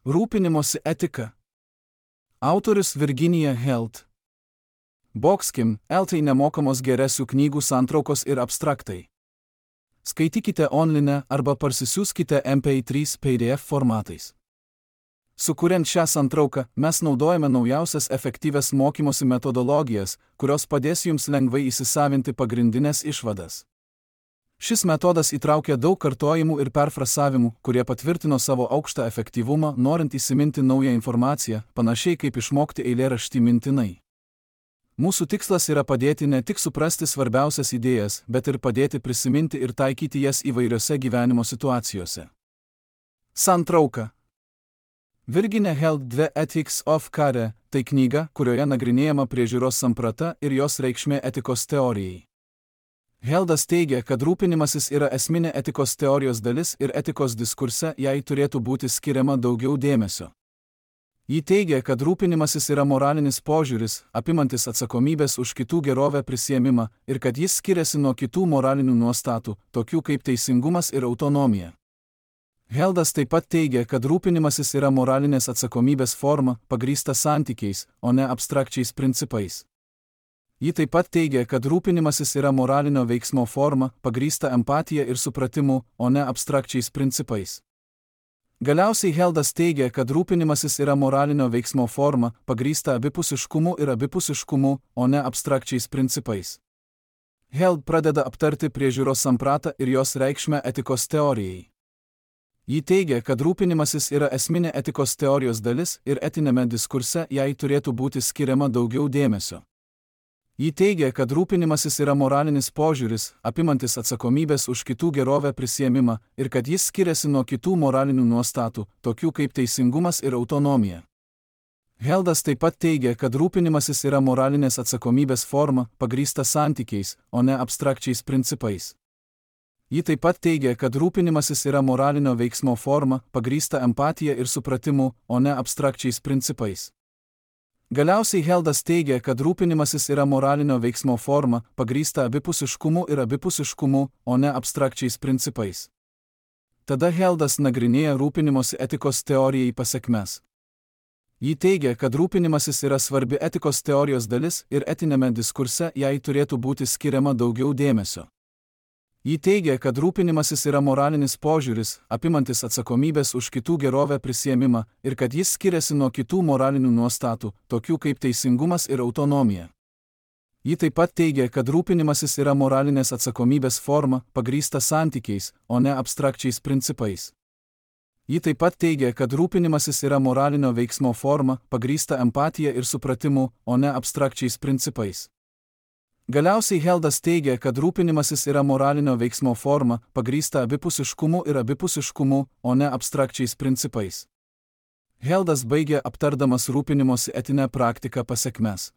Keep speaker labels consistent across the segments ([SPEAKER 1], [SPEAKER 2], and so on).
[SPEAKER 1] Rūpinimosi etika. Autorius Virginija Helt. Boxkim, LT nemokamos geresių knygų santraukos ir abstraktai. Skaitykite online arba parsisiųskite MP3 PDF formatais. Sukuriant šią santrauką, mes naudojame naujausias efektyvias mokymosi metodologijas, kurios padės jums lengvai įsisavinti pagrindinės išvadas. Šis metodas įtraukia daug kartojimų ir perfrasavimų, kurie patvirtino savo aukštą efektyvumą, norint įsiminti naują informaciją, panašiai kaip išmokti eilėraštį mintinai. Mūsų tikslas yra padėti ne tik suprasti svarbiausias idėjas, bet ir padėti prisiminti ir taikyti jas įvairiose gyvenimo situacijose. Santrauka. Virginia Helt 2 Ethics of Care – tai knyga, kurioje nagrinėjama priežiūros samprata ir jos reikšmė etikos teorijai. Heldas teigia, kad rūpinimasis yra esminė etikos teorijos dalis ir etikos diskurse jai turėtų būti skiriama daugiau dėmesio. Ji teigia, kad rūpinimasis yra moralinis požiūris, apimantis atsakomybės už kitų gerovę prisiėmimą ir kad jis skiriasi nuo kitų moralinių nuostatų, tokių kaip teisingumas ir autonomija. Heldas taip pat teigia, kad rūpinimasis yra moralinės atsakomybės forma, pagrįsta santykiais, o ne abstrakčiais principais. Ji taip pat teigia, kad rūpinimasis yra moralinio veiksmo forma, pagrįsta empatija ir supratimu, o ne abstrakčiais principais. Galiausiai Heldas teigia, kad rūpinimasis yra moralinio veiksmo forma, pagrįsta abipusiškumu ir abipusiškumu, o ne abstrakčiais principais. Held pradeda aptarti priežiūros sampratą ir jos reikšmę etikos teorijai. Ji teigia, kad rūpinimasis yra esminė etikos teorijos dalis ir etiniame diskurse jai turėtų būti skiriama daugiau dėmesio. Ji teigia, kad rūpinimasis yra moralinis požiūris, apimantis atsakomybės už kitų gerovę prisiėmimą ir kad jis skiriasi nuo kitų moralinių nuostatų, tokių kaip teisingumas ir autonomija. Heldas taip pat teigia, kad rūpinimasis yra moralinės atsakomybės forma, pagrįsta santykiais, o ne abstrakčiais principais. Ji taip pat teigia, kad rūpinimasis yra moralinio veiksmo forma, pagrįsta empatija ir supratimu, o ne abstrakčiais principais. Galiausiai Heldas teigia, kad rūpinimasis yra moralinio veiksmo forma, pagrįsta abipusiškumu ir abipusiškumu, o ne abstrakčiais principais. Tada Heldas nagrinėja rūpinimosi etikos teorijai pasekmes. Ji teigia, kad rūpinimasis yra svarbi etikos teorijos dalis ir etiniame diskurse jai turėtų būti skiriama daugiau dėmesio. Ji teigia, kad rūpinimasis yra moralinis požiūris, apimantis atsakomybės už kitų gerovę prisiėmimą ir kad jis skiriasi nuo kitų moralinių nuostatų, tokių kaip teisingumas ir autonomija. Ji taip pat teigia, kad rūpinimasis yra moralinės atsakomybės forma, pagrįsta santykiais, o ne abstrakčiais principais. Ji taip pat teigia, kad rūpinimasis yra moralinio veiksmo forma, pagrįsta empatija ir supratimu, o ne abstrakčiais principais. Galiausiai Heldas teigia, kad rūpinimasis yra moralinio veiksmo forma, pagrįsta abipusiškumu ir abipusiškumu, o ne abstrakčiais principais. Heldas baigia aptardamas rūpinimosi etinę praktiką pasekmes.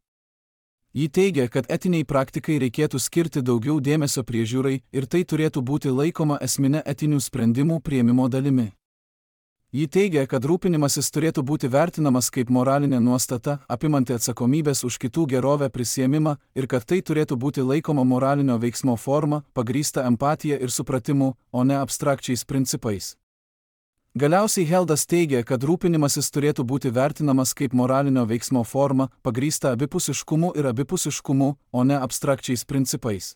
[SPEAKER 1] Ji teigia, kad etiniai praktikai reikėtų skirti daugiau dėmesio priežiūrai ir tai turėtų būti laikoma esmine etinių sprendimų priėmimo dalimi. Ji teigia, kad rūpinimasis turėtų būti vertinamas kaip moralinė nuostata, apimanti atsakomybės už kitų gerovę prisiėmimą ir kad tai turėtų būti laikoma moralinio veiksmo forma, pagrįsta empatija ir supratimu, o ne abstrakčiais principais. Galiausiai Heldas teigia, kad rūpinimasis turėtų būti vertinamas kaip moralinio veiksmo forma, pagrįsta abipusiškumu ir abipusiškumu, o ne abstrakčiais principais.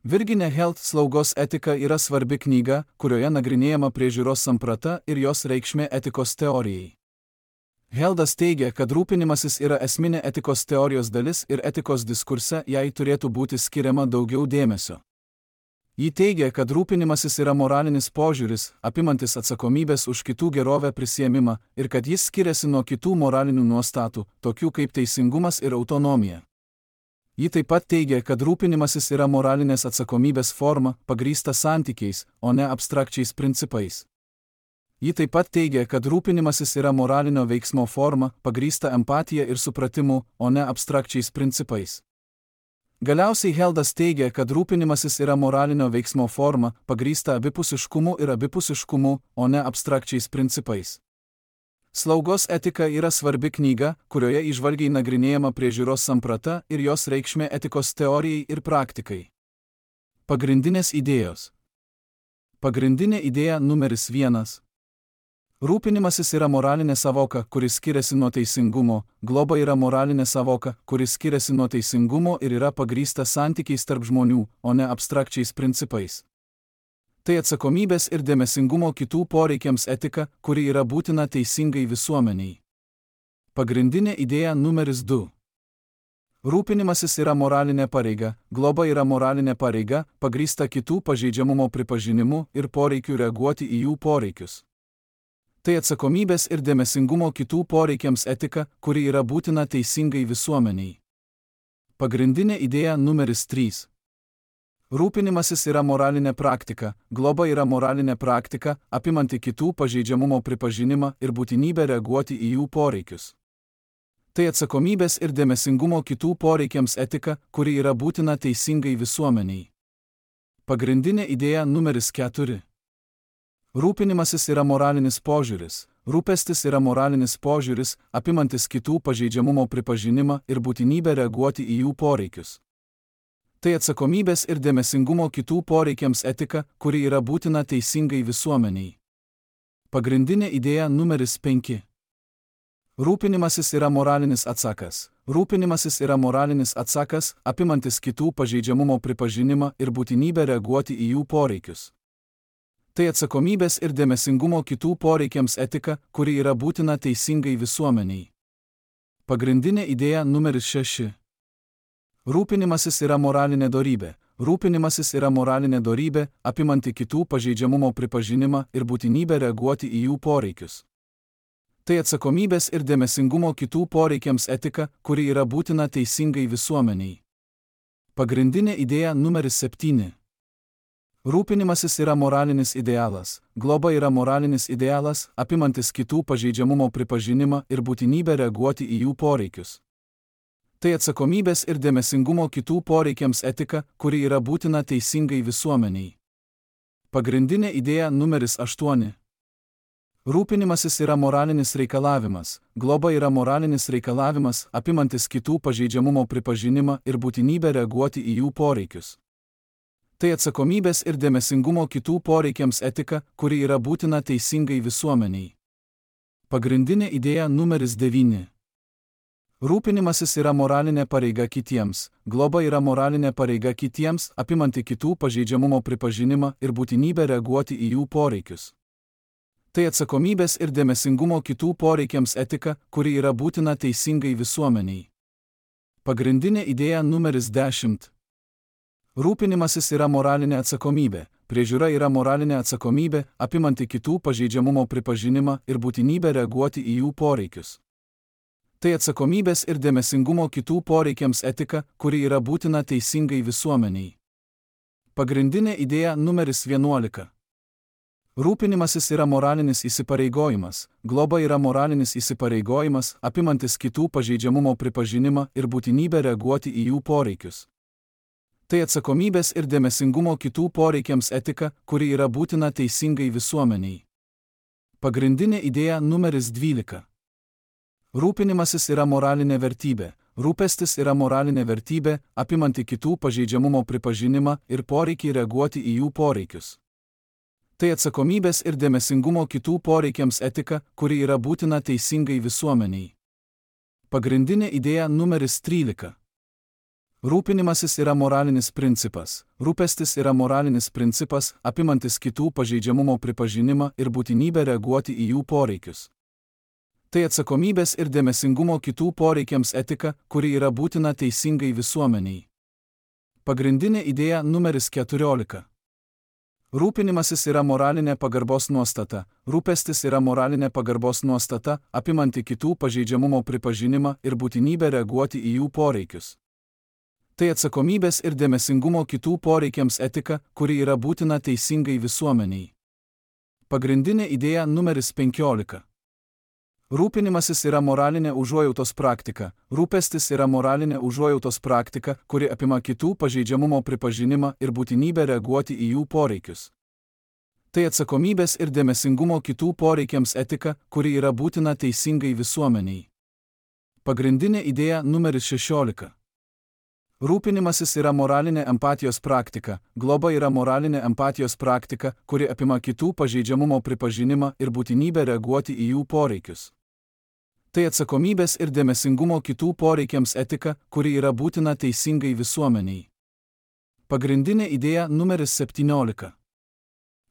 [SPEAKER 1] Virginia Helt slaugos etika yra svarbi knyga, kurioje nagrinėjama priežiūros samprata ir jos reikšmė etikos teorijai. Heldas teigia, kad rūpinimasis yra esminė etikos teorijos dalis ir etikos diskurse jai turėtų būti skiriama daugiau dėmesio. Ji teigia, kad rūpinimasis yra moralinis požiūris, apimantis atsakomybės už kitų gerovę prisiėmimą ir kad jis skiriasi nuo kitų moralinių nuostatų, tokių kaip teisingumas ir autonomija. Ji taip pat teigia, kad rūpinimasis yra moralinės atsakomybės forma, pagrįsta santykiais, o ne abstrakčiais principais. Ji taip pat teigia, kad rūpinimasis yra moralinio veiksmo forma, pagrįsta empatija ir supratimu, o ne abstrakčiais principais. Galiausiai Heldas teigia, kad rūpinimasis yra moralinio veiksmo forma, pagrįsta abipusiškumu ir abipusiškumu, o ne abstrakčiais principais. Slaugos etika yra svarbi knyga, kurioje įžvalgiai nagrinėjama priežiūros samprata ir jos reikšmė etikos teorijai ir praktikai. Pagrindinės idėjos. Pagrindinė idėja numeris 1. Rūpinimasis yra moralinė savoka, kuris skiriasi nuo teisingumo, globa yra moralinė savoka, kuris skiriasi nuo teisingumo ir yra pagrįsta santykiais tarp žmonių, o ne abstrakčiais principais. Tai atsakomybės ir dėmesingumo kitų poreikiams etika, kuri yra būtina teisingai visuomeniai. Pagrindinė idėja numeris 2. Rūpinimasis yra moralinė pareiga, globa yra moralinė pareiga, pagrįsta kitų pažeidžiamumo pripažinimu ir poreikiu reaguoti į jų poreikius. Tai atsakomybės ir dėmesingumo kitų poreikiams etika, kuri yra būtina teisingai visuomeniai. Pagrindinė idėja numeris 3. Rūpinimasis yra moralinė praktika, globa yra moralinė praktika, apimanti kitų pažeidžiamumo pripažinimą ir būtinybę reaguoti į jų poreikius. Tai atsakomybės ir dėmesingumo kitų poreikiams etika, kuri yra būtina teisingai visuomeniai. Pagrindinė idėja numeris 4. Rūpinimasis yra moralinis požiūris, rūpestis yra moralinis požiūris, apimantis kitų pažeidžiamumo pripažinimą ir būtinybę reaguoti į jų poreikius. Tai atsakomybės ir dėmesingumo kitų poreikiams etika, kuri yra būtina teisingai visuomeniai. Pagrindinė idėja numeris 5. Rūpinimasis yra moralinis atsakas. Rūpinimasis yra moralinis atsakas, apimantis kitų pažeidžiamumo pripažinimą ir būtinybę reaguoti į jų poreikius. Tai atsakomybės ir dėmesingumo kitų poreikiams etika, kuri yra būtina teisingai visuomeniai. Pagrindinė idėja numeris 6. Rūpinimasis yra moralinė dorybė. Rūpinimasis yra moralinė dorybė, apimanti kitų pažeidžiamumo pripažinimą ir būtinybę reaguoti į jų poreikius. Tai atsakomybės ir dėmesingumo kitų poreikiams etika, kuri yra būtina teisingai visuomeniai. Pagrindinė idėja numeris 7. Rūpinimasis yra moralinis idealas, globa yra moralinis idealas, apimantis kitų pažeidžiamumo pripažinimą ir būtinybę reaguoti į jų poreikius. Tai atsakomybės ir dėmesingumo kitų poreikiams etika, kuri yra būtina teisingai visuomeniai. Pagrindinė idėja numeris 8. Rūpinimasis yra moralinis reikalavimas, globa yra moralinis reikalavimas, apimantis kitų pažeidžiamumo pripažinimą ir būtinybę reaguoti į jų poreikius. Tai atsakomybės ir dėmesingumo kitų poreikiams etika, kuri yra būtina teisingai visuomeniai. Pagrindinė idėja numeris 9. Rūpinimasis yra moralinė pareiga kitiems, globa yra moralinė pareiga kitiems, apimanti kitų pažeidžiamumo pripažinimą ir būtinybę reaguoti į jų poreikius. Tai atsakomybės ir dėmesingumo kitų poreikiams etika, kuri yra būtina teisingai visuomeniai. Pagrindinė idėja numeris 10. Rūpinimasis yra moralinė atsakomybė, priežiūra yra moralinė atsakomybė, apimanti kitų pažeidžiamumo pripažinimą ir būtinybę reaguoti į jų poreikius. Tai atsakomybės ir dėmesingumo kitų poreikiams etika, kuri yra būtina teisingai visuomeniai. Pagrindinė idėja numeris 11. Rūpinimasis yra moralinis įsipareigojimas, globa yra moralinis įsipareigojimas, apimantis kitų pažeidžiamumo pripažinimą ir būtinybę reaguoti į jų poreikius. Tai atsakomybės ir dėmesingumo kitų poreikiams etika, kuri yra būtina teisingai visuomeniai. Pagrindinė idėja numeris 12. Rūpinimasis yra moralinė vertybė, rūpestis yra moralinė vertybė, apimanti kitų pažeidžiamumo pripažinimą ir poreikį reaguoti į jų poreikius. Tai atsakomybės ir dėmesingumo kitų poreikiams etika, kuri yra būtina teisingai visuomeniai. Pagrindinė idėja numeris 13. Rūpinimasis yra moralinis principas. Rūpestis yra moralinis principas, apimantis kitų pažeidžiamumo pripažinimą ir būtinybę reaguoti į jų poreikius. Tai atsakomybės ir dėmesingumo kitų poreikiams etika, kuri yra būtina teisingai visuomeniai. Pagrindinė idėja numeris 14. Rūpinimasis yra moralinė pagarbos nuostata. Rūpestis yra moralinė pagarbos nuostata, apimanti kitų pažeidžiamumo pripažinimą ir būtinybę reaguoti į jų poreikius. Tai atsakomybės ir dėmesingumo kitų poreikiams etika, kuri yra būtina teisingai visuomeniai. Pagrindinė idėja numeris 15. Rūpinimasis yra moralinė užuojautos praktika. Rūpestis yra moralinė užuojautos praktika, kuri apima kitų pažeidžiamumo pripažinimą ir būtinybę reaguoti į jų poreikius. Tai atsakomybės ir dėmesingumo kitų poreikiams etika, kuri yra būtina teisingai visuomeniai. Pagrindinė idėja numeris 16. Rūpinimasis yra moralinė empatijos praktika, globa yra moralinė empatijos praktika, kuri apima kitų pažeidžiamumo pripažinimą ir būtinybę reaguoti į jų poreikius. Tai atsakomybės ir dėmesingumo kitų poreikiams etika, kuri yra būtina teisingai visuomeniai. Pagrindinė idėja numeris 17.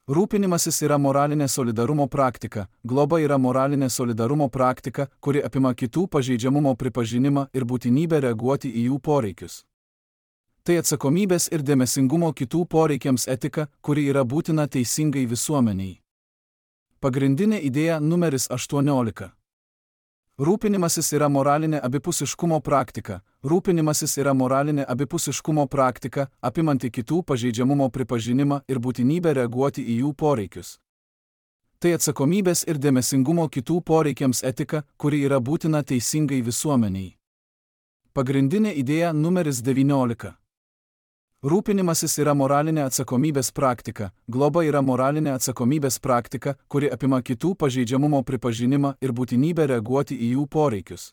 [SPEAKER 1] Rūpinimasis yra moralinė solidarumo praktika, globa yra moralinė solidarumo praktika, kuri apima kitų pažeidžiamumo pripažinimą ir būtinybę reaguoti į jų poreikius. Tai atsakomybės ir dėmesingumo kitų poreikiams etika, kuri yra būtina teisingai visuomeniai. Pagrindinė idėja numeris 18. Rūpinimasis yra moralinė abipusiškumo praktika. Rūpinimasis yra moralinė abipusiškumo praktika, apimanti kitų pažeidžiamumo pripažinimą ir būtinybę reaguoti į jų poreikius. Tai atsakomybės ir dėmesingumo kitų poreikiams etika, kuri yra būtina teisingai visuomeniai. Pagrindinė idėja numeris 19. Rūpinimasis yra moralinė atsakomybės praktika, globa yra moralinė atsakomybės praktika, kuri apima kitų pažeidžiamumo pripažinimą ir būtinybę reaguoti į jų poreikius.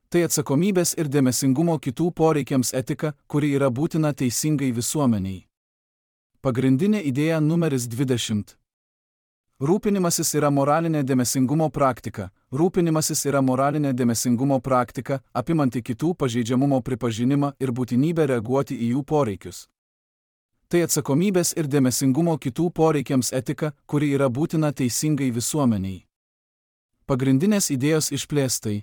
[SPEAKER 1] Tai atsakomybės ir dėmesingumo kitų poreikiams etika, kuri yra būtina teisingai visuomeniai. Pagrindinė idėja numeris 20. Rūpinimasis yra moralinė dėmesingumo praktika. Rūpinimasis yra moralinė dėmesingumo praktika, apimanti kitų pažeidžiamumo pripažinimą ir būtinybę reaguoti į jų poreikius. Tai atsakomybės ir dėmesingumo kitų poreikiams etika, kuri yra būtina teisingai visuomeniai. Pagrindinės idėjos išplėstai.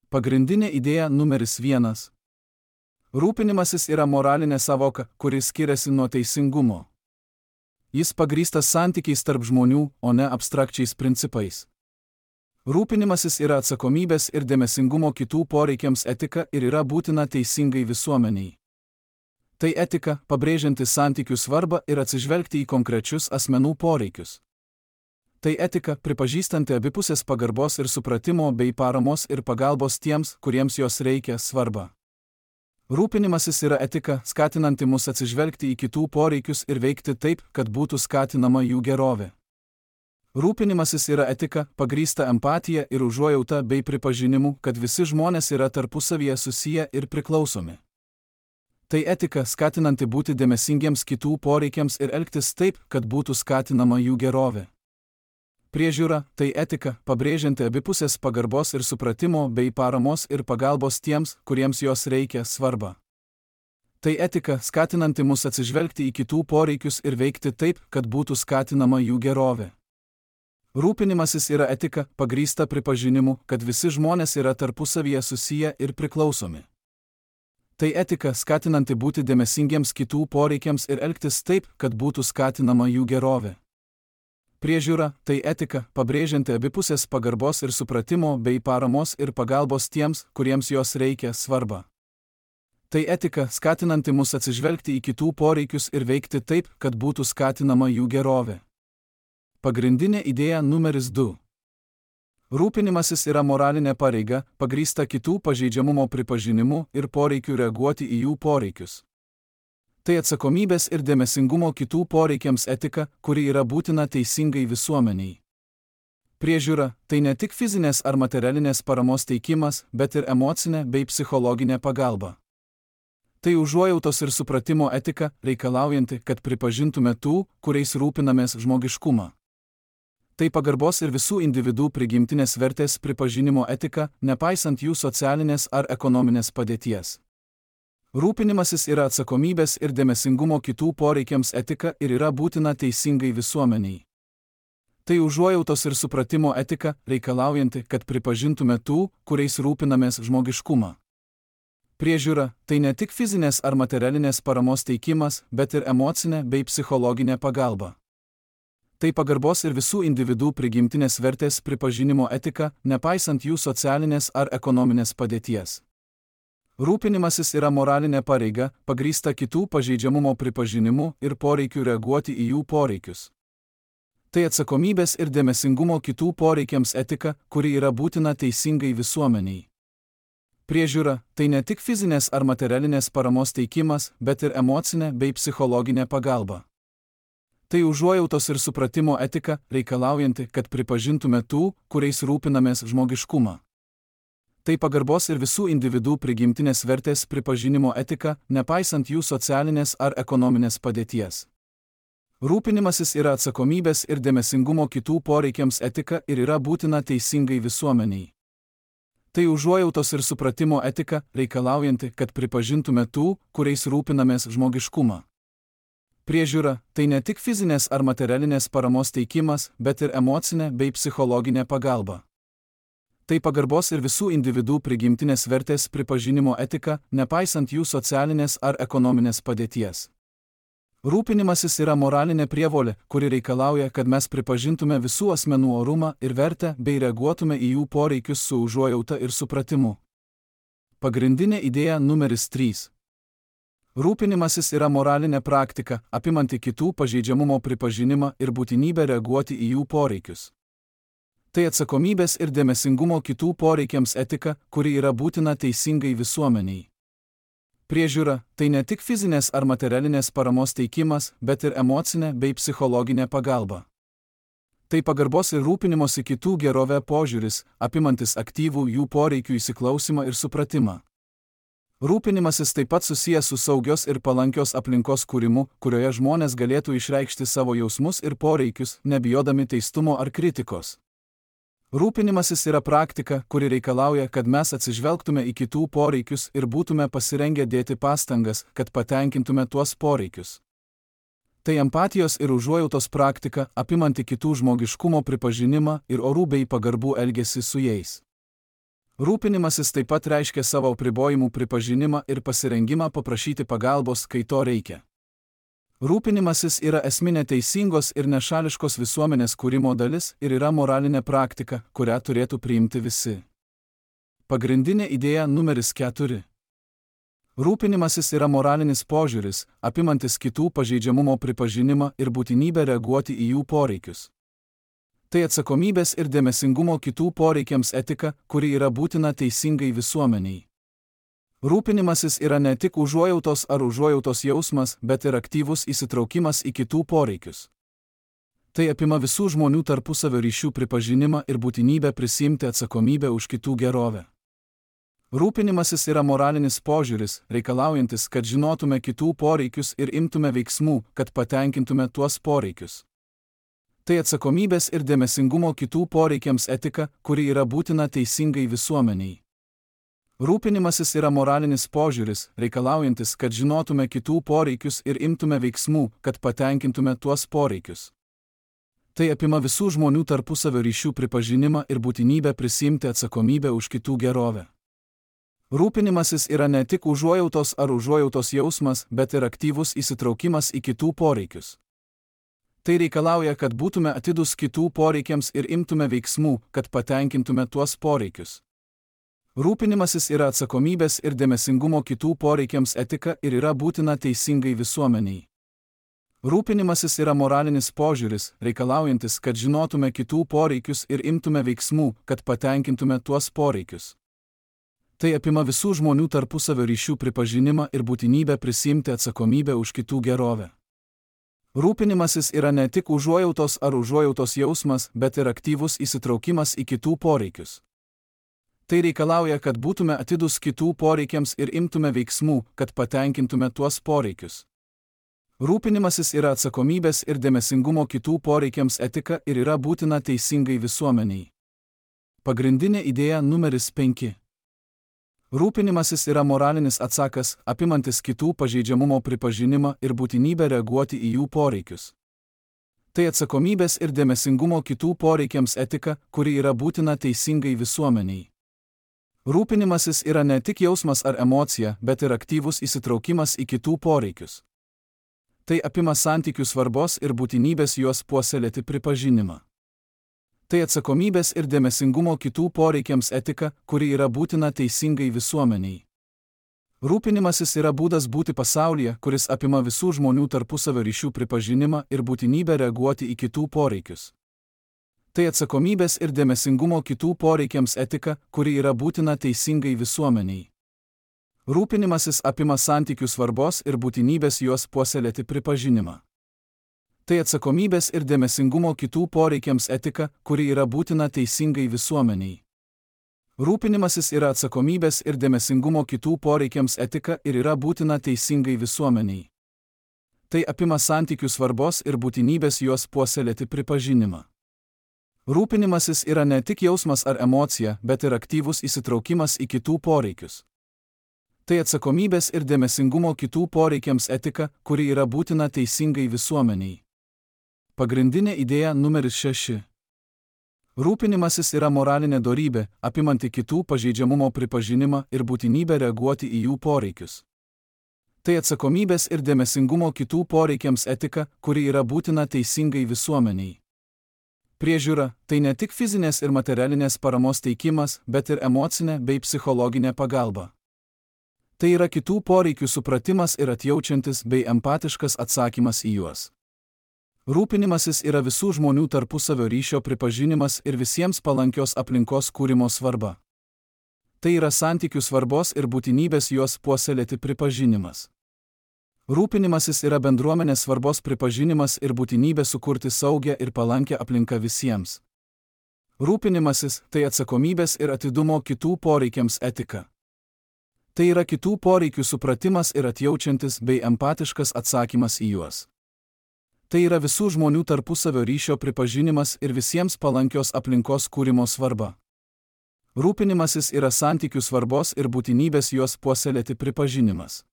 [SPEAKER 1] Pagrindinė idėja numeris 1. Rūpinimasis yra moralinė savoka, kuri skiriasi nuo teisingumo. Jis pagrįstas santykiais tarp žmonių, o ne abstrakčiais principais. Rūpinimasis yra atsakomybės ir dėmesingumo kitų poreikiams etika ir yra būtina teisingai visuomeniai. Tai etika, pabrėžianti santykių svarbą ir atsižvelgti į konkrečius asmenų poreikius. Tai etika, pripažįstanti abipusės pagarbos ir supratimo bei paramos ir pagalbos tiems, kuriems jos reikia, svarbą. Rūpinimasis yra etika, skatinanti mus atsižvelgti į kitų poreikius ir veikti taip, kad būtų skatinama jų gerovė. Rūpinimasis yra etika, pagrįsta empatija ir užuojauta bei pripažinimu, kad visi žmonės yra tarpusavyje susiję ir priklausomi. Tai etika, skatinanti būti dėmesingiems kitų poreikiams ir elgtis taip, kad būtų skatinama jų gerovė. Priežiūra – tai etika, pabrėžianti abipusės pagarbos ir supratimo bei paramos ir pagalbos tiems, kuriems jos reikia, svarbą. Tai etika, skatinanti mus atsižvelgti į kitų poreikius ir veikti taip, kad būtų skatinama jų gerovė. Rūpinimasis yra etika, pagrįsta pripažinimu, kad visi žmonės yra tarpusavyje susiję ir priklausomi. Tai etika, skatinanti būti dėmesingiems kitų poreikiams ir elgtis taip, kad būtų skatinama jų gerovė. Priežiūra – tai etika, pabrėžianti abipusės pagarbos ir supratimo bei paramos ir pagalbos tiems, kuriems jos reikia, svarbą. Tai etika, skatinanti mus atsižvelgti į kitų poreikius ir veikti taip, kad būtų skatinama jų gerovė. Pagrindinė idėja numeris 2. Rūpinimasis yra moralinė pareiga, pagrįsta kitų pažeidžiamumo pripažinimu ir poreikiu reaguoti į jų poreikius. Tai atsakomybės ir dėmesingumo kitų poreikiams etika, kuri yra būtina teisingai visuomeniai. Priežiūra – tai ne tik fizinės ar materialinės paramos teikimas, bet ir emocinė bei psichologinė pagalba. Tai užuojautos ir supratimo etika, reikalaujanti, kad pripažintume tų, kuriais rūpinamės, žmogiškumą. Tai pagarbos ir visų individų prigimtinės vertės pripažinimo etika, nepaisant jų socialinės ar ekonominės padėties. Rūpinimasis yra atsakomybės ir dėmesingumo kitų poreikiams etika ir yra būtina teisingai visuomeniai. Tai užuojautos ir supratimo etika, reikalaujanti, kad pripažintume tų, kuriais rūpinamės, žmogiškumą. Priežiūra – tai ne tik fizinės ar materialinės paramos teikimas, bet ir emocinė bei psichologinė pagalba. Tai pagarbos ir visų individų prigimtinės vertės pripažinimo etika, nepaisant jų socialinės ar ekonominės padėties. Rūpinimasis yra moralinė pareiga, pagrįsta kitų pažeidžiamumo pripažinimu ir poreikiu reaguoti į jų poreikius. Tai atsakomybės ir dėmesingumo kitų poreikiams etika, kuri yra būtina teisingai visuomeniai. Priežiūra – tai ne tik fizinės ar materialinės paramos teikimas, bet ir emocinė bei psichologinė pagalba. Tai užuojautos ir supratimo etika, reikalaujanti, kad pripažintume tų, kuriais rūpinamės, žmogiškumą. Tai pagarbos ir visų individų prigimtinės vertės pripažinimo etika, nepaisant jų socialinės ar ekonominės padėties. Rūpinimasis yra atsakomybės ir dėmesingumo kitų poreikiams etika ir yra būtina teisingai visuomeniai. Tai užuojautos ir supratimo etika, reikalaujanti, kad pripažintume tų, kuriais rūpinamės žmogiškumą. Priežiūra – tai ne tik fizinės ar materialinės paramos teikimas, bet ir emocinė bei psichologinė pagalba. Tai pagarbos ir visų individų prigimtinės vertės pripažinimo etika, nepaisant jų socialinės ar ekonominės padėties. Rūpinimasis yra moralinė prievolė, kuri reikalauja, kad mes pripažintume visų asmenų orumą ir vertę bei reaguotume į jų poreikius su užuojauta ir supratimu. Pagrindinė idėja numeris 3. Rūpinimasis yra moralinė praktika, apimanti kitų pažeidžiamumo pripažinimą ir būtinybę reaguoti į jų poreikius. Tai atsakomybės ir dėmesingumo kitų poreikiams etika, kuri yra būtina teisingai visuomeniai. Priežiūra – tai ne tik fizinės ar materialinės paramos teikimas, bet ir emocinė bei psichologinė pagalba. Tai pagarbos ir rūpinimosi kitų gerovę požiūris, apimantis aktyvų jų poreikių įsiklausimą ir supratimą. Rūpinimasis taip pat susijęs su saugios ir palankios aplinkos kūrimu, kurioje žmonės galėtų išreikšti savo jausmus ir poreikius, nebijodami teistumo ar kritikos. Rūpinimasis yra praktika, kuri reikalauja, kad mes atsižvelgtume į kitų poreikius ir būtume pasirengę dėti pastangas, kad patenkintume tuos poreikius. Tai empatijos ir užuojautos praktika, apimanti kitų žmogiškumo pripažinimą ir orų bei pagarbų elgesį su jais. Rūpinimasis taip pat reiškia savo apribojimų pripažinimą ir pasirengimą paprašyti pagalbos, kai to reikia. Rūpinimasis yra esminė teisingos ir nešališkos visuomenės kūrimo dalis ir yra moralinė praktika, kurią turėtų priimti visi. Pagrindinė idėja numeris 4. Rūpinimasis yra moralinis požiūris, apimantis kitų pažeidžiamumo pripažinimą ir būtinybę reaguoti į jų poreikius. Tai atsakomybės ir dėmesingumo kitų poreikiams etika, kuri yra būtina teisingai visuomeniai. Rūpinimasis yra ne tik užuojautos ar užuojautos jausmas, bet ir aktyvus įsitraukimas į kitų poreikius. Tai apima visų žmonių tarpusavio ryšių pripažinimą ir būtinybę prisiimti atsakomybę už kitų gerovę. Rūpinimasis yra moralinis požiūris, reikalaujantis, kad žinotume kitų poreikius ir imtume veiksmų, kad patenkintume tuos poreikius. Tai atsakomybės ir dėmesingumo kitų poreikiams etika, kuri yra būtina teisingai visuomeniai. Rūpinimasis yra moralinis požiūris, reikalaujantis, kad žinotume kitų poreikius ir imtume veiksmų, kad patenkintume tuos poreikius. Tai apima visų žmonių tarpusavio ryšių pripažinimą ir būtinybę prisiimti atsakomybę už kitų gerovę. Rūpinimasis yra ne tik užuojautos ar užuojautos jausmas, bet ir aktyvus įsitraukimas į kitų poreikius. Tai reikalauja, kad būtume atidūs kitų poreikiams ir imtume veiksmų, kad patenkintume tuos poreikius. Rūpinimasis yra atsakomybės ir dėmesingumo kitų poreikiams etika ir yra būtina teisingai visuomeniai. Rūpinimasis yra moralinis požiūris, reikalaujantis, kad žinotume kitų poreikius ir imtume veiksmų, kad patenkintume tuos poreikius. Tai apima visų žmonių tarpusavio ryšių pripažinimą ir būtinybę prisiimti atsakomybę už kitų gerovę. Rūpinimasis yra ne tik užuojautos ar užuojautos jausmas, bet ir aktyvus įsitraukimas į kitų poreikius. Tai reikalauja, kad būtume atidūs kitų poreikiams ir imtume veiksmų, kad patenkintume tuos poreikius. Rūpinimasis yra atsakomybės ir dėmesingumo kitų poreikiams etika ir yra būtina teisingai visuomeniai. Pagrindinė idėja numeris 5. Rūpinimasis yra moralinis atsakas, apimantis kitų pažeidžiamumo pripažinimą ir būtinybę reaguoti į jų poreikius. Tai atsakomybės ir dėmesingumo kitų poreikiams etika, kuri yra būtina teisingai visuomeniai. Rūpinimasis yra ne tik jausmas ar emocija, bet ir aktyvus įsitraukimas į kitų poreikius. Tai apima santykių svarbos ir būtinybės juos puoselėti pripažinimą. Tai atsakomybės ir dėmesingumo kitų poreikiams etika, kuri yra būtina teisingai visuomeniai. Rūpinimasis yra būdas būti pasaulyje, kuris apima visų žmonių tarpusavio ryšių pripažinimą ir būtinybę reaguoti į kitų poreikius. Tai atsakomybės ir dėmesingumo kitų poreikiams etika, kuri yra būtina teisingai visuomeniai. Rūpinimasis apima santykių svarbos ir būtinybės juos puoselėti pripažinimą. Tai atsakomybės ir dėmesingumo kitų poreikiams etika, kuri yra būtina teisingai visuomeniai. Rūpinimasis yra atsakomybės ir dėmesingumo kitų poreikiams etika ir yra būtina teisingai visuomeniai. Tai apima santykių svarbos ir būtinybės juos puoselėti pripažinimą. Rūpinimasis yra ne tik jausmas ar emocija, bet ir aktyvus įsitraukimas į kitų poreikius. Tai atsakomybės ir dėmesingumo kitų poreikiams etika, kuri yra būtina teisingai visuomeniai. Pagrindinė idėja numeris 6. Rūpinimasis yra moralinė dorybė, apimanti kitų pažeidžiamumo pripažinimą ir būtinybę reaguoti į jų poreikius. Tai atsakomybės ir dėmesingumo kitų poreikiams etika, kuri yra būtina teisingai visuomeniai. Priežiūra – tai ne tik fizinės ir materialinės paramos teikimas, bet ir emocinė bei psichologinė pagalba. Tai yra kitų poreikių supratimas ir atjaučiantis bei empatiškas atsakymas į juos. Rūpinimasis yra visų žmonių tarpusavio ryšio pripažinimas ir visiems palankios aplinkos kūrimo svarba. Tai yra santykių svarbos ir būtinybės juos puoselėti pripažinimas. Rūpinimasis yra bendruomenės svarbos pripažinimas ir būtinybė sukurti saugią ir palankę aplinką visiems. Rūpinimasis – tai atsakomybės ir atidumo kitų poreikiams etika. Tai yra kitų poreikių supratimas ir atjaučiantis bei empatiškas atsakymas į juos. Tai yra visų žmonių tarpusavio ryšio pripažinimas ir visiems palankios aplinkos kūrimo svarba. Rūpinimasis yra santykių svarbos ir būtinybės juos puoselėti pripažinimas.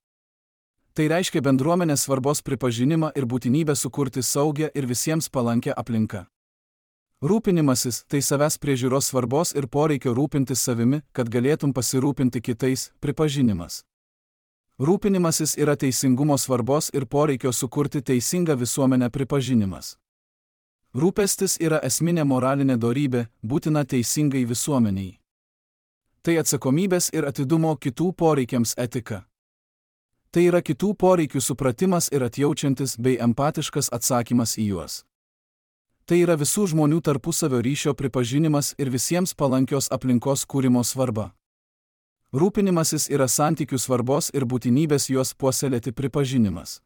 [SPEAKER 1] Tai reiškia bendruomenės svarbos pripažinimą ir būtinybę sukurti saugią ir visiems palankę aplinką. Rūpinimasis – tai savęs priežiūros svarbos ir poreikio rūpintis savimi, kad galėtum pasirūpinti kitais, pripažinimas. Rūpinimasis yra teisingumo svarbos ir poreikio sukurti teisingą visuomenę pripažinimas. Rūpestis yra esminė moralinė dorybė, būtina teisingai visuomeniai. Tai atsakomybės ir atidumo kitų poreikiams etika. Tai yra kitų poreikių supratimas ir atjaučiantis bei empatiškas atsakymas į juos. Tai yra visų žmonių tarpusavio ryšio pripažinimas ir visiems palankios aplinkos kūrimo svarba. Rūpinimasis yra santykių svarbos ir būtinybės juos puoselėti pripažinimas.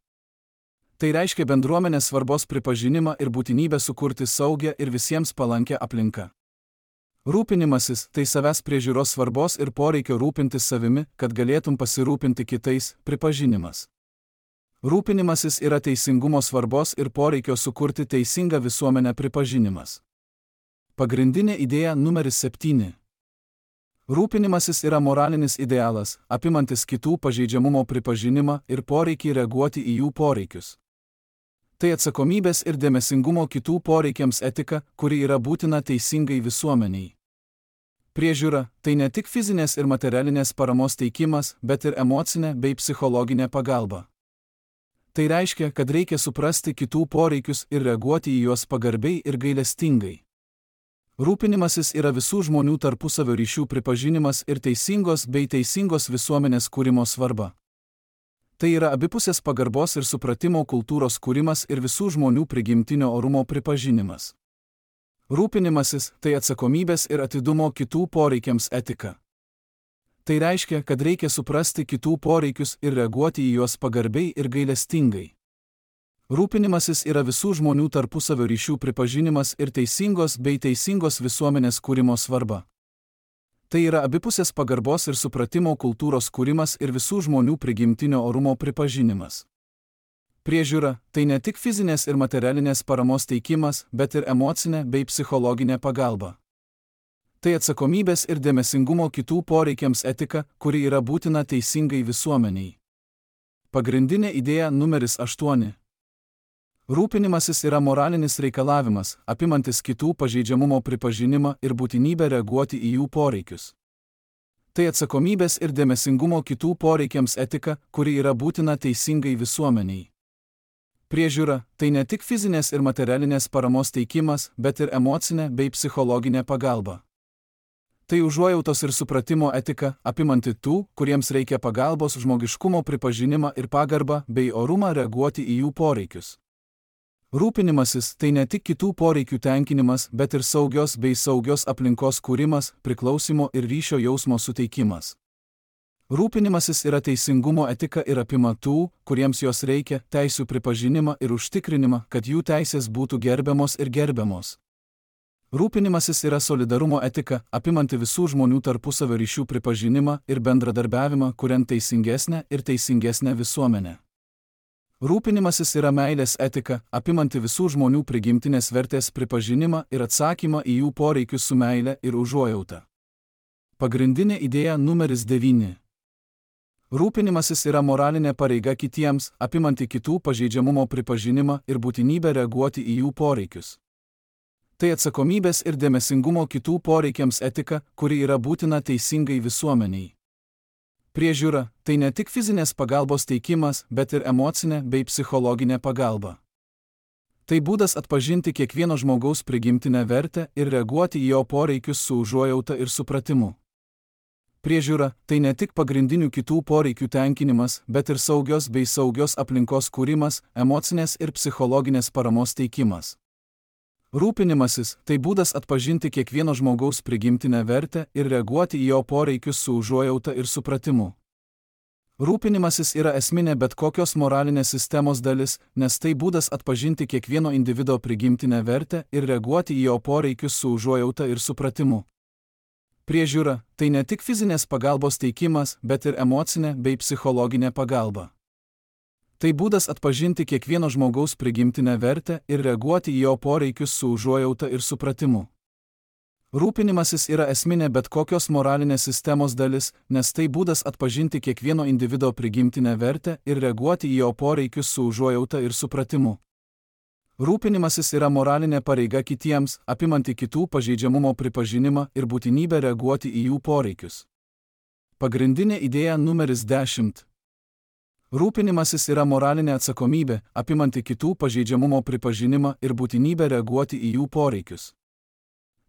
[SPEAKER 1] Tai reiškia bendruomenės svarbos pripažinimą ir būtinybę sukurti saugią ir visiems palankę aplinką. Rūpinimasis – tai savęs priežiūros svarbos ir poreikio rūpintis savimi, kad galėtum pasirūpinti kitais, pripažinimas. Rūpinimasis yra teisingumo svarbos ir poreikio sukurti teisingą visuomenę pripažinimas. Pagrindinė idėja numeris 7. Rūpinimasis yra moralinis idealas, apimantis kitų pažeidžiamumo pripažinimą ir poreikį reaguoti į jų poreikius. Tai atsakomybės ir dėmesingumo kitų poreikiams etika, kuri yra būtina teisingai visuomeniai. Priežiūra – tai ne tik fizinės ir materialinės paramos teikimas, bet ir emocinė bei psichologinė pagalba. Tai reiškia, kad reikia suprasti kitų poreikius ir reaguoti į juos pagarbiai ir gailestingai. Rūpinimasis yra visų žmonių tarpusavio ryšių pripažinimas ir teisingos bei teisingos visuomenės kūrimo svarba. Tai yra abipusės pagarbos ir supratimo kultūros kūrimas ir visų žmonių prigimtinio orumo pripažinimas. Rūpinimasis – tai atsakomybės ir atidumo kitų poreikiams etika. Tai reiškia, kad reikia suprasti kitų poreikius ir reaguoti į juos pagarbiai ir gailestingai. Rūpinimasis yra visų žmonių tarpusavio ryšių pripažinimas ir teisingos bei teisingos visuomenės kūrimo svarba. Tai yra abipusės pagarbos ir supratimo kultūros kūrimas ir visų žmonių prigimtinio orumo pripažinimas. Priežiūra – tai ne tik fizinės ir materialinės paramos teikimas, bet ir emocinė bei psichologinė pagalba. Tai atsakomybės ir dėmesingumo kitų poreikiams etika, kuri yra būtina teisingai visuomeniai. Pagrindinė idėja numeris 8. Rūpinimasis yra moralinis reikalavimas, apimantis kitų pažeidžiamumo pripažinimą ir būtinybę reaguoti į jų poreikius. Tai atsakomybės ir dėmesingumo kitų poreikiams etika, kuri yra būtina teisingai visuomeniai. Priežiūra – tai ne tik fizinės ir materialinės paramos teikimas, bet ir emocinė bei psichologinė pagalba. Tai užuojautos ir supratimo etika, apimanti tų, kuriems reikia pagalbos, žmogiškumo pripažinimą ir pagarbą bei orumą reaguoti į jų poreikius. Rūpinimasis – tai ne tik kitų poreikių tenkinimas, bet ir saugios bei saugios aplinkos kūrimas, priklausimo ir ryšio jausmo suteikimas. Rūpinimasis yra teisingumo etika ir apima tų, kuriems jos reikia, teisių pripažinimą ir užtikrinimą, kad jų teisės būtų gerbiamos ir gerbiamos. Rūpinimasis yra solidarumo etika, apimanti visų žmonių tarpusavio ryšių pripažinimą ir bendradarbiavimą, kuriant teisingesnę ir teisingesnę visuomenę. Rūpinimasis yra meilės etika, apimanti visų žmonių prigimtinės vertės pripažinimą ir atsakymą į jų poreikius su meile ir užuojauta. Pagrindinė idėja numeris 9. Rūpinimasis yra moralinė pareiga kitiems, apimanti kitų pažeidžiamumo pripažinimą ir būtinybę reaguoti į jų poreikius. Tai atsakomybės ir dėmesingumo kitų poreikiams etika, kuri yra būtina teisingai visuomeniai. Priežiūra – tai ne tik fizinės pagalbos teikimas, bet ir emocinė bei psichologinė pagalba. Tai būdas atpažinti kiekvieno žmogaus prigimtinę vertę ir reaguoti į jo poreikius su užuojauta ir supratimu. Priežiūra – tai ne tik pagrindinių kitų poreikių tenkinimas, bet ir saugios aplinkos kūrimas, emocinės ir psichologinės paramos teikimas. Rūpinimasis – tai būdas atpažinti kiekvieno žmogaus prigimtinę vertę ir reaguoti į jo poreikius su užuojauta ir supratimu. Rūpinimasis yra esminė bet kokios moralinės sistemos dalis, nes tai būdas atpažinti kiekvieno individo prigimtinę vertę ir reaguoti į jo poreikius su užuojauta ir supratimu. Priežiūra – tai ne tik fizinės pagalbos teikimas, bet ir emocinė bei psichologinė pagalba. Tai būdas atpažinti kiekvieno žmogaus prigimtinę vertę ir reaguoti į jo poreikius su užuojauta ir supratimu. Rūpinimasis yra esminė bet kokios moralinės sistemos dalis, nes tai būdas atpažinti kiekvieno individo prigimtinę vertę ir reaguoti į jo poreikius su užuojauta ir supratimu. Rūpinimasis yra moralinė pareiga kitiems, apimanti kitų pažeidžiamumo pripažinimą ir būtinybę reaguoti į jų poreikius. Pagrindinė idėja numeris 10. Rūpinimasis yra moralinė atsakomybė, apimanti kitų pažeidžiamumo pripažinimą ir būtinybę reaguoti į jų poreikius.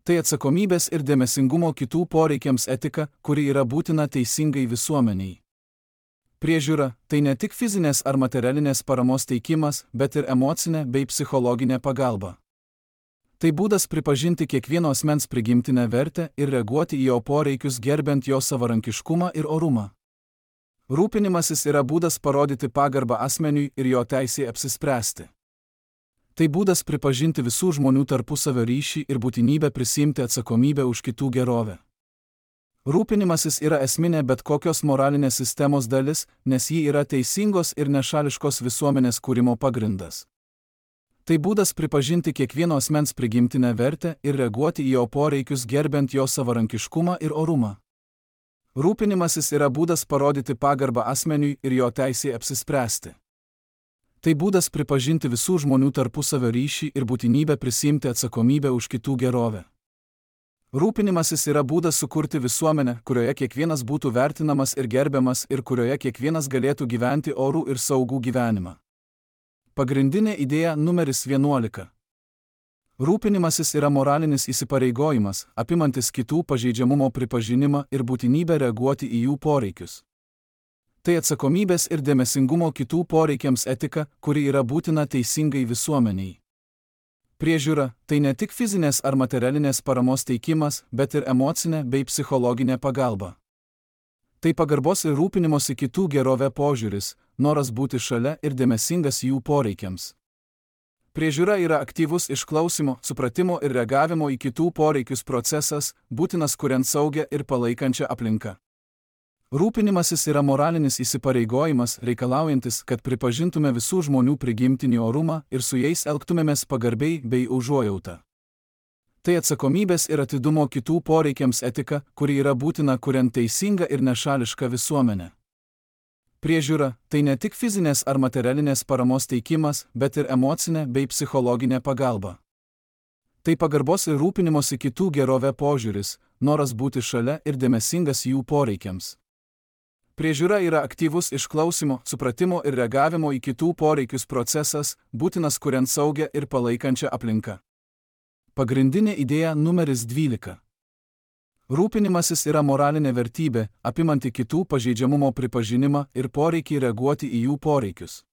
[SPEAKER 1] Tai atsakomybės ir dėmesingumo kitų poreikiams etika, kuri yra būtina teisingai visuomeniai. Priežiūra – tai ne tik fizinės ar materialinės paramos teikimas, bet ir emocinė bei psichologinė pagalba. Tai būdas pripažinti kiekvieno asmens prigimtinę vertę ir reaguoti į jo poreikius gerbiant jo savarankiškumą ir orumą. Rūpinimasis yra būdas parodyti pagarbą asmeniui ir jo teisei apsispręsti. Tai būdas pripažinti visų žmonių tarpusavio ryšį ir būtinybę prisiimti atsakomybę už kitų gerovę. Rūpinimasis yra esminė bet kokios moralinės sistemos dalis, nes ji yra teisingos ir nešališkos visuomenės kūrimo pagrindas. Tai būdas pripažinti kiekvieno asmens prigimtinę vertę ir reaguoti į jo poreikius gerbiant jo savarankiškumą ir orumą. Rūpinimasis yra būdas parodyti pagarbą asmeniui ir jo teisei apsispręsti. Tai būdas pripažinti visų žmonių tarpusavio ryšį ir būtinybę prisiimti atsakomybę už kitų gerovę. Rūpinimasis yra būdas sukurti visuomenę, kurioje kiekvienas būtų vertinamas ir gerbiamas ir kurioje kiekvienas galėtų gyventi orų ir saugų gyvenimą. Pagrindinė idėja numeris 11. Rūpinimasis yra moralinis įsipareigojimas, apimantis kitų pažeidžiamumo pripažinimą ir būtinybę reaguoti į jų poreikius. Tai atsakomybės ir dėmesingumo kitų poreikiams etika, kuri yra būtina teisingai visuomeniai. Priežiūra – tai ne tik fizinės ar materialinės paramos teikimas, bet ir emocinė bei psichologinė pagalba. Tai pagarbos ir rūpinimosi kitų gerovė požiūris, noras būti šalia ir dėmesingas jų poreikiams. Priežiūra yra aktyvus išklausimo, supratimo ir reagavimo į kitų poreikius procesas, būtinas kuriant saugią ir palaikančią aplinką. Rūpinimasis yra moralinis įsipareigojimas, reikalaujantis, kad pripažintume visų žmonių prigimtinį orumą ir su jais elgtumėmės pagarbiai bei užuojauta. Tai atsakomybės ir atidumo kitų poreikiams etika, kuri yra būtina kuriant teisingą ir nešališką visuomenę. Priežiūra – tai ne tik fizinės ar materialinės paramos teikimas, bet ir emocinė bei psichologinė pagalba. Tai pagarbos ir rūpinimosi kitų gerovė požiūris, noras būti šalia ir dėmesingas jų poreikiams. Priežiūra yra aktyvus išklausimo, supratimo ir reagavimo į kitų poreikius procesas, būtinas kuriant saugią ir palaikančią aplinką. Pagrindinė idėja numeris 12. Rūpinimasis yra moralinė vertybė, apimanti kitų pažeidžiamumo pripažinimą ir poreikį reaguoti į jų poreikius.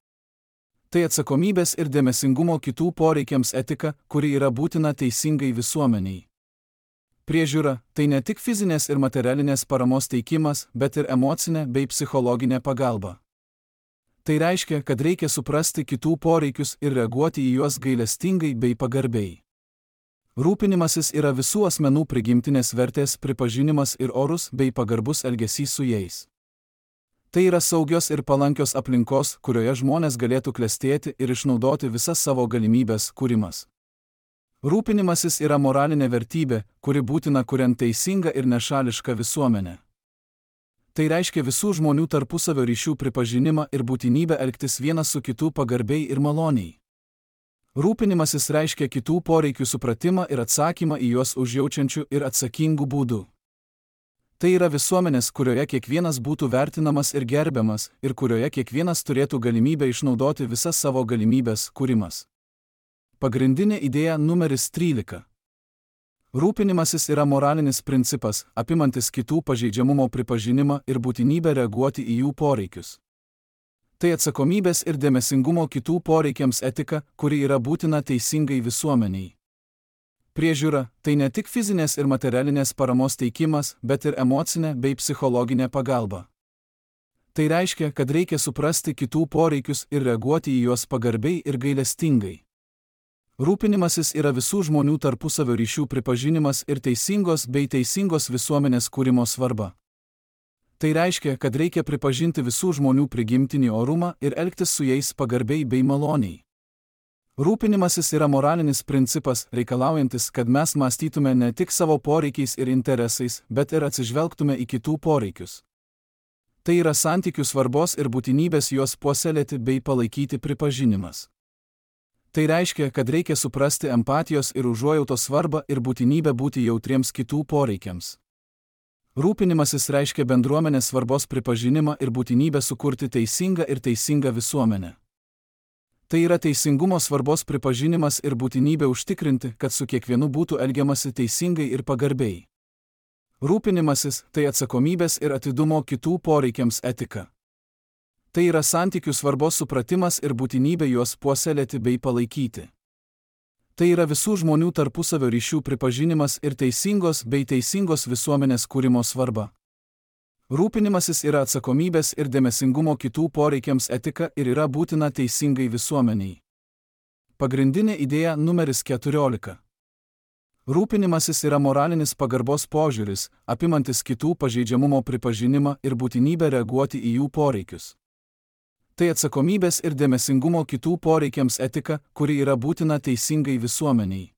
[SPEAKER 1] Tai atsakomybės ir dėmesingumo kitų poreikiams etika, kuri yra būtina teisingai visuomeniai. Priežiūra – tai ne tik fizinės ir materialinės paramos teikimas, bet ir emocinė bei psichologinė pagalba. Tai reiškia, kad reikia suprasti kitų poreikius ir reaguoti į juos gailestingai bei pagarbiai. Rūpinimasis yra visų asmenų prigimtinės vertės pripažinimas ir orus bei pagarbus elgesys su jais. Tai yra saugios ir palankios aplinkos, kurioje žmonės galėtų klestėti ir išnaudoti visas savo galimybės kūrimas. Rūpinimasis yra moralinė vertybė, kuri būtina kuriant teisingą ir nešališką visuomenę. Tai reiškia visų žmonių tarpusavio ryšių pripažinimą ir būtinybę elgtis vienas su kitu pagarbiai ir maloniai. Rūpinimasis reiškia kitų poreikių supratimą ir atsakymą į juos užjaučiančių ir atsakingų būdų. Tai yra visuomenės, kurioje kiekvienas būtų vertinamas ir gerbiamas, ir kurioje kiekvienas turėtų galimybę išnaudoti visas savo galimybės kūrimas. Pagrindinė idėja numeris 13. Rūpinimasis yra moralinis principas, apimantis kitų pažeidžiamumo pripažinimą ir būtinybę reaguoti į jų poreikius. Tai atsakomybės ir dėmesingumo kitų poreikiams etika, kuri yra būtina teisingai visuomeniai. Priežiūra – tai ne tik fizinės ir materialinės paramos teikimas, bet ir emocinė bei psichologinė pagalba. Tai reiškia, kad reikia suprasti kitų poreikius ir reaguoti į juos pagarbiai ir gailestingai. Rūpinimasis yra visų žmonių tarpusavio ryšių pripažinimas ir teisingos bei teisingos visuomenės kūrimo svarba. Tai reiškia, kad reikia pripažinti visų žmonių prigimtinį orumą ir elgtis su jais pagarbiai bei maloniai. Rūpinimasis yra moralinis principas, reikalaujantis, kad mes mąstytume ne tik savo poreikiais ir interesais, bet ir atsižvelgtume į kitų poreikius. Tai yra santykių svarbos ir būtinybės juos puoselėti bei palaikyti pripažinimas. Tai reiškia, kad reikia suprasti empatijos ir užuojautos svarbą ir būtinybę būti jautriems kitų poreikiams. Rūpinimasis reiškia bendruomenės svarbos pripažinimą ir būtinybę sukurti teisingą ir teisingą visuomenę. Tai yra teisingumo svarbos pripažinimas ir būtinybė užtikrinti, kad su kiekvienu būtų elgiamasi teisingai ir pagarbiai. Rūpinimasis – tai atsakomybės ir atidumo kitų poreikiams etika. Tai yra santykių svarbos supratimas ir būtinybė juos puoselėti bei palaikyti. Tai yra visų žmonių tarpusavio ryšių pripažinimas ir teisingos bei teisingos visuomenės kūrimo svarba. Rūpinimasis yra atsakomybės ir dėmesingumo kitų poreikiams etika ir yra būtina teisingai visuomeniai. Pagrindinė idėja numeris 14. Rūpinimasis yra moralinis pagarbos požiūris, apimantis kitų pažeidžiamumo pripažinimą ir būtinybę reaguoti į jų poreikius. Tai atsakomybės ir dėmesingumo kitų poreikiams etika, kuri yra būtina teisingai visuomeniai.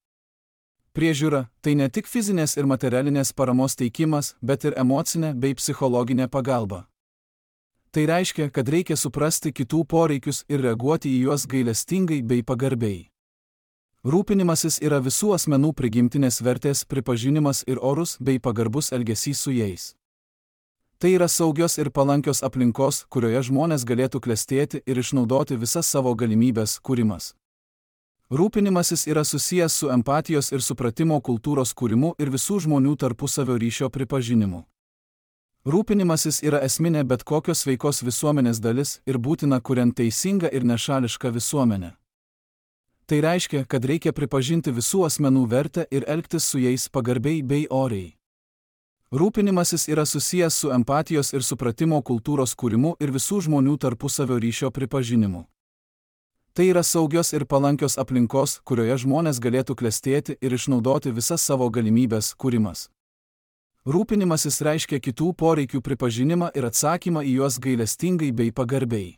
[SPEAKER 1] Priežiūra – tai ne tik fizinės ir materialinės paramos teikimas, bet ir emocinė bei psichologinė pagalba. Tai reiškia, kad reikia suprasti kitų poreikius ir reaguoti į juos gailestingai bei pagarbiai. Rūpinimasis yra visų asmenų prigimtinės vertės pripažinimas ir orus bei pagarbus elgesys su jais. Tai yra saugios ir palankios aplinkos, kurioje žmonės galėtų klestėti ir išnaudoti visas savo galimybės kūrimas. Rūpinimasis yra susijęs su empatijos ir supratimo kultūros kūrimu ir visų žmonių tarpusavio ryšio pripažinimu. Rūpinimasis yra esminė bet kokios sveikos visuomenės dalis ir būtina kuriant teisingą ir nešališką visuomenę. Tai reiškia, kad reikia pripažinti visų asmenų vertę ir elgtis su jais pagarbiai bei oriai. Rūpinimasis yra susijęs su empatijos ir supratimo kultūros kūrimu ir visų žmonių tarpusavio ryšio pripažinimu. Tai yra saugios ir palankios aplinkos, kurioje žmonės galėtų klestėti ir išnaudoti visas savo galimybės kūrimas. Rūpinimasis reiškia kitų poreikių pripažinimą ir atsakymą į juos gailestingai bei pagarbiai.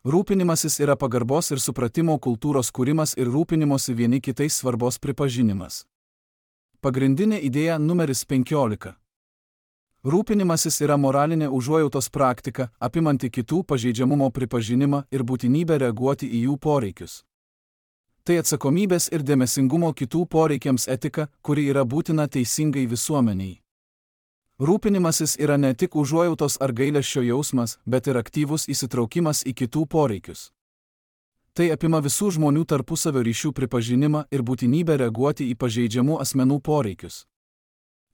[SPEAKER 1] Rūpinimasis yra pagarbos ir supratimo kultūros kūrimas ir rūpinimosi vieni kitais svarbos pripažinimas. Pagrindinė idėja numeris 15. Rūpinimasis yra moralinė užuojautos praktika, apimanti kitų pažeidžiamumo pripažinimą ir būtinybę reaguoti į jų poreikius. Tai atsakomybės ir dėmesingumo kitų poreikiams etika, kuri yra būtina teisingai visuomeniai. Rūpinimasis yra ne tik užuojautos ar gailesčio jausmas, bet ir aktyvus įsitraukimas į kitų poreikius. Tai apima visų žmonių tarpusavio ryšių pripažinimą ir būtinybę reaguoti į pažeidžiamų asmenų poreikius.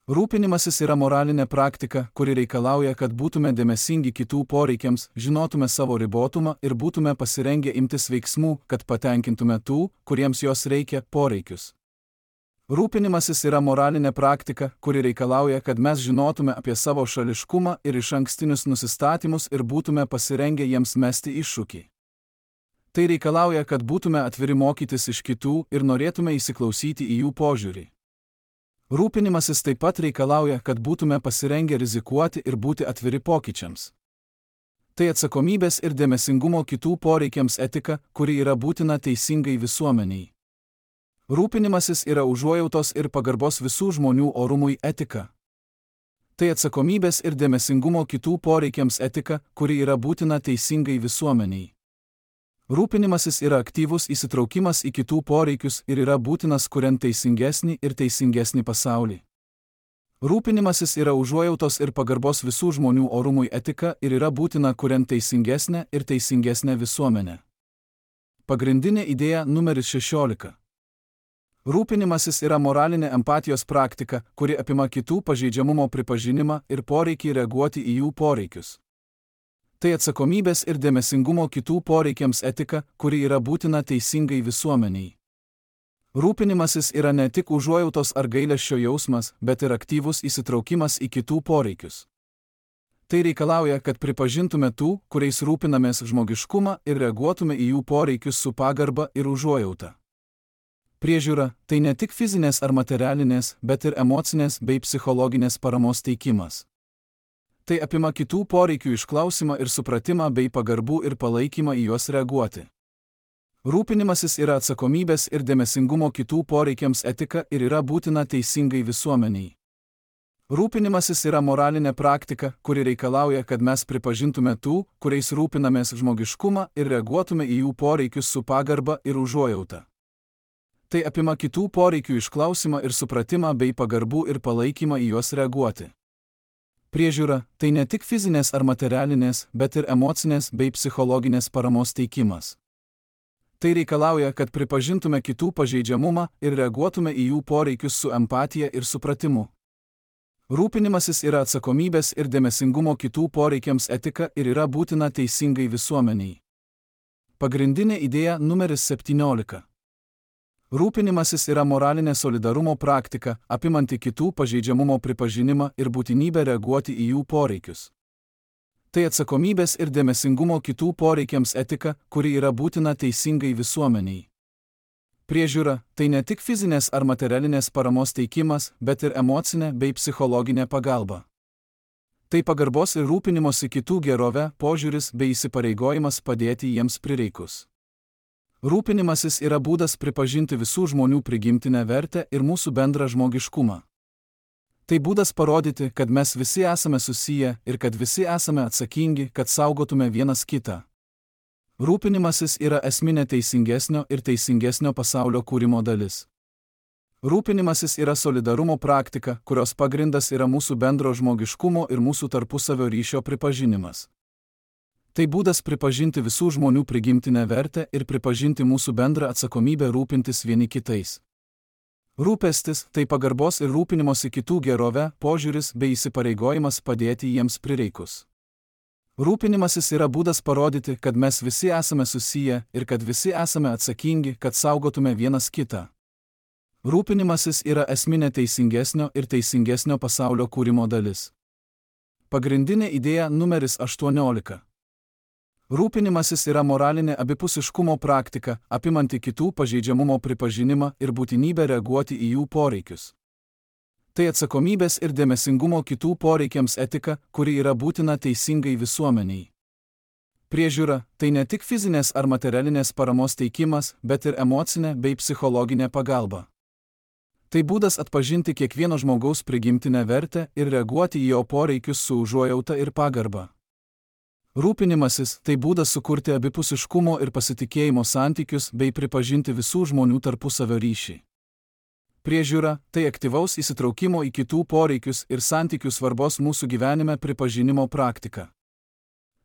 [SPEAKER 1] Rūpinimasis yra moralinė praktika, kuri reikalauja, kad būtume dėmesingi kitų poreikiams, žinotume savo ribotumą ir būtume pasirengę imtis veiksmų, kad patenkintume tų, kuriems jos reikia, poreikius. Rūpinimasis yra moralinė praktika, kuri reikalauja, kad mes žinotume apie savo šališkumą ir išankstinius nusistatymus ir būtume pasirengę jiems mesti iššūkį. Tai reikalauja, kad būtume atviri mokytis iš kitų ir norėtume įsiklausyti į jų požiūrį. Rūpinimasis taip pat reikalauja, kad būtume pasirengę rizikuoti ir būti atviri pokyčiams. Tai atsakomybės ir dėmesingumo kitų poreikiams etika, kuri yra būtina teisingai visuomeniai. Rūpinimasis yra užuojautos ir pagarbos visų žmonių orumui etika. Tai atsakomybės ir dėmesingumo kitų poreikiams etika, kuri yra būtina teisingai visuomeniai. Rūpinimasis yra aktyvus įsitraukimas į kitų poreikius ir yra būtinas kuriant teisingesnį ir teisingesnį pasaulį. Rūpinimasis yra užuojautos ir pagarbos visų žmonių orumui etika ir yra būtina kuriant teisingesnę ir teisingesnę visuomenę. Pagrindinė idėja numeris 16. Rūpinimasis yra moralinė empatijos praktika, kuri apima kitų pažeidžiamumo pripažinimą ir poreikį reaguoti į jų poreikius. Tai atsakomybės ir dėmesingumo kitų poreikiams etika, kuri yra būtina teisingai visuomeniai. Rūpinimasis yra ne tik užuojautos ar gailesčio jausmas, bet ir aktyvus įsitraukimas į kitų poreikius. Tai reikalauja, kad pripažintume tų, kuriais rūpinamės žmogiškumą ir reaguotume į jų poreikius su pagarba ir užuojauta. Priežiūra – tai ne tik fizinės ar materialinės, bet ir emocinės bei psichologinės paramos teikimas. Tai apima kitų poreikių išklausimą ir supratimą bei pagarbų ir palaikymą į juos reaguoti. Rūpinimasis yra atsakomybės ir dėmesingumo kitų poreikiams etika ir yra būtina teisingai visuomeniai. Rūpinimasis yra moralinė praktika, kuri reikalauja, kad mes pripažintume tų, kuriais rūpinamės žmogiškumą ir reaguotume į jų poreikius su pagarba ir užuojauta. Tai apima kitų poreikių išklausimą ir supratimą bei pagarbų ir palaikymą į juos reaguoti. Priežiūra – tai ne tik fizinės ar materialinės, bet ir emocinės bei psichologinės paramos teikimas. Tai reikalauja, kad pripažintume kitų pažeidžiamumą ir reaguotume į jų poreikius su empatija ir supratimu. Rūpinimasis yra atsakomybės ir dėmesingumo kitų poreikiams etika ir yra būtina teisingai visuomeniai. Pagrindinė idėja numeris 17. Rūpinimasis yra moralinė solidarumo praktika, apimanti kitų pažeidžiamumo pripažinimą ir būtinybę reaguoti į jų poreikius. Tai atsakomybės ir dėmesingumo kitų poreikiams etika, kuri yra būtina teisingai visuomeniai. Priežiūra – tai ne tik fizinės ar materialinės paramos teikimas, bet ir emocinė bei psichologinė pagalba. Tai pagarbos ir rūpinimosi kitų gerove, požiūris bei įsipareigojimas padėti jiems prireikus. Rūpinimasis yra būdas pripažinti visų žmonių prigimtinę vertę ir mūsų bendrą žmogiškumą. Tai būdas parodyti, kad mes visi esame susiję ir kad visi esame atsakingi, kad saugotume vienas kitą. Rūpinimasis yra esminė teisingesnio ir teisingesnio pasaulio kūrimo dalis. Rūpinimasis yra solidarumo praktika, kurios pagrindas yra mūsų bendro žmogiškumo ir mūsų tarpusavio ryšio pripažinimas. Tai būdas pripažinti visų žmonių prigimtinę vertę ir pripažinti mūsų bendrą atsakomybę rūpintis vieni kitais. Rūpestis – tai pagarbos ir rūpinimosi kitų gerove, požiūris bei įsipareigojimas padėti jiems prireikus. Rūpinimasis yra būdas parodyti, kad mes visi esame susiję ir kad visi esame atsakingi, kad saugotume vienas kitą. Rūpinimasis yra esminė teisingesnio ir teisingesnio pasaulio kūrimo dalis. Pagrindinė idėja numeris 18. Rūpinimasis yra moralinė abipusiškumo praktika, apimanti kitų pažeidžiamumo pripažinimą ir būtinybę reaguoti į jų poreikius. Tai atsakomybės ir dėmesingumo kitų poreikiams etika, kuri yra būtina teisingai visuomeniai. Priežiūra – tai ne tik fizinės ar materialinės paramos teikimas, bet ir emocinė bei psichologinė pagalba. Tai būdas atpažinti kiekvieno žmogaus prigimtinę vertę ir reaguoti į jo poreikius su užuojauta ir pagarba. Rūpinimasis – tai būdas sukurti abipusiškumo ir pasitikėjimo santykius bei pripažinti visų žmonių tarpusavio ryšį. Priežiūra – tai aktyvaus įsitraukimo į kitų poreikius ir santykių svarbos mūsų gyvenime pripažinimo praktika.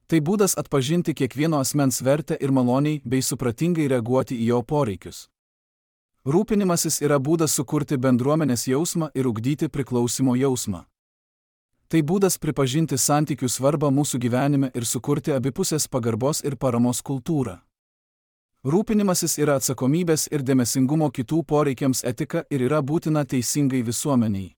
[SPEAKER 1] Tai būdas atpažinti kiekvieno asmens vertę ir maloniai bei supratingai reaguoti į jo poreikius. Rūpinimasis yra būdas sukurti bendruomenės jausmą ir ugdyti priklausimo jausmą. Tai būdas pripažinti santykių svarbą mūsų gyvenime ir sukurti abipusės pagarbos ir paramos kultūrą. Rūpinimasis yra atsakomybės ir dėmesingumo kitų poreikiams etika ir yra būtina teisingai visuomeniai.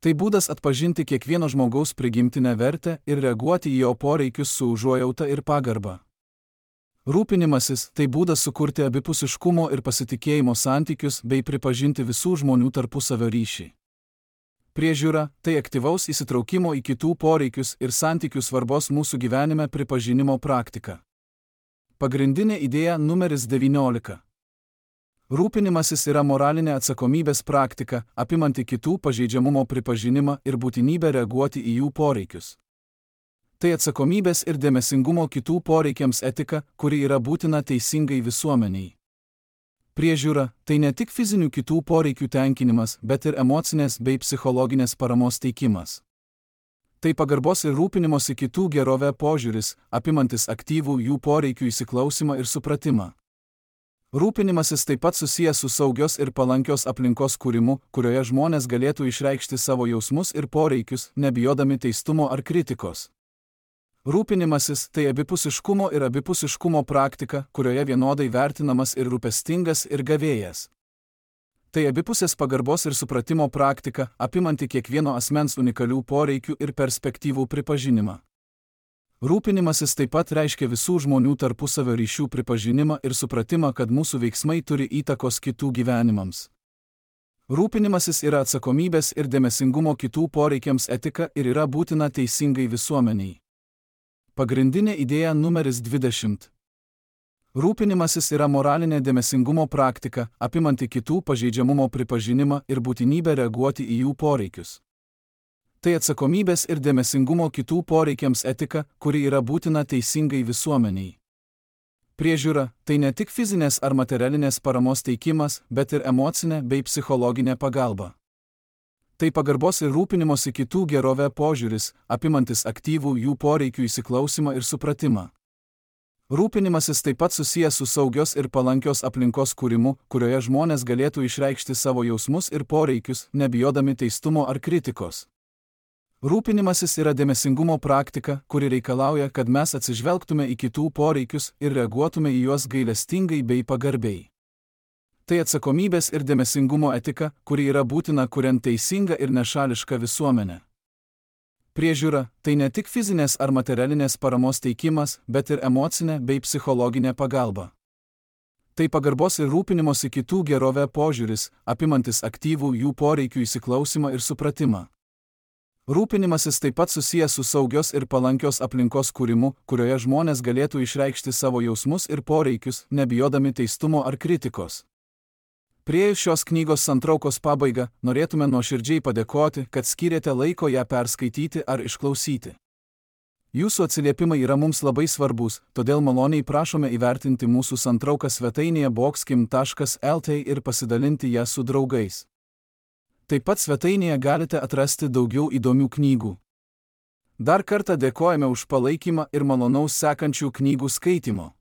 [SPEAKER 1] Tai būdas atpažinti kiekvieno žmogaus prigimtinę vertę ir reaguoti į jo poreikius su užuojauta ir pagarba. Rūpinimasis tai būdas sukurti abipusiškumo ir pasitikėjimo santykius bei pripažinti visų žmonių tarpusavio ryšį. Priežiūra tai aktyvaus įsitraukimo į kitų poreikius ir santykių svarbos mūsų gyvenime pripažinimo praktika. Pagrindinė idėja numeris 19. Rūpinimasis yra moralinė atsakomybės praktika, apimanti kitų pažeidžiamumo pripažinimą ir būtinybę reaguoti į jų poreikius. Tai atsakomybės ir dėmesingumo kitų poreikiams etika, kuri yra būtina teisingai visuomeniai. Priežiūra tai ne tik fizinių kitų poreikių tenkinimas, bet ir emocinės bei psichologinės paramos teikimas. Tai pagarbos ir rūpinimosi kitų gerovę požiūris, apimantis aktyvų jų poreikių įsiklausimą ir supratimą. Rūpinimasis taip pat susijęs su saugios ir palankios aplinkos kūrimu, kurioje žmonės galėtų išreikšti savo jausmus ir poreikius, nebijodami teistumo ar kritikos. Rūpinimasis tai abipusiškumo ir abipusiškumo praktika, kurioje vienodai vertinamas ir rūpestingas ir gavėjas. Tai abipusės pagarbos ir supratimo praktika, apimanti kiekvieno asmens unikalių poreikių ir perspektyvų pripažinimą. Rūpinimasis taip pat reiškia visų žmonių tarpusavio ryšių pripažinimą ir supratimą, kad mūsų veiksmai turi įtakos kitų gyvenimams. Rūpinimasis yra atsakomybės ir dėmesingumo kitų poreikiams etika ir yra būtina teisingai visuomeniai. Pagrindinė idėja numeris 20. Rūpinimasis yra moralinė dėmesingumo praktika, apimanti kitų pažeidžiamumo pripažinimą ir būtinybę reaguoti į jų poreikius. Tai atsakomybės ir dėmesingumo kitų poreikiams etika, kuri yra būtina teisingai visuomeniai. Priežiūra tai ne tik fizinės ar materialinės paramos teikimas, bet ir emocinė bei psichologinė pagalba. Tai pagarbos ir rūpinimosi kitų gerovę požiūris, apimantis aktyvų jų poreikių įsiklausimą ir supratimą. Rūpinimasis taip pat susijęs su saugios ir palankios aplinkos kūrimu, kurioje žmonės galėtų išreikšti savo jausmus ir poreikius, nebijodami teistumo ar kritikos. Rūpinimasis yra dėmesingumo praktika, kuri reikalauja, kad mes atsižvelgtume į kitų poreikius ir reaguotume į juos gailestingai bei pagarbiai. Tai atsakomybės ir dėmesingumo etika, kuri yra būtina kuriant teisingą ir nešališką visuomenę. Priežiūra tai ne tik fizinės ar materialinės paramos teikimas, bet ir emocinė bei psichologinė pagalba. Tai pagarbos ir rūpinimosi kitų gerovę požiūris, apimantis aktyvų jų poreikių įsiklausimą ir supratimą. Rūpinimasis taip pat susijęs su saugios ir palankios aplinkos kūrimu, kurioje žmonės galėtų išreikšti savo jausmus ir poreikius, nebijodami teistumo ar kritikos. Priėjus šios knygos santraukos pabaigą, norėtume nuoširdžiai padėkoti, kad skyrėte laiko ją perskaityti ar išklausyti. Jūsų atsiliepimai yra mums labai svarbus, todėl maloniai prašome įvertinti mūsų santrauką svetainėje boxkim.lt ir pasidalinti ją su draugais. Taip pat svetainėje galite atrasti daugiau įdomių knygų. Dar kartą dėkojame už palaikymą ir malonaus sekančių knygų skaitimo.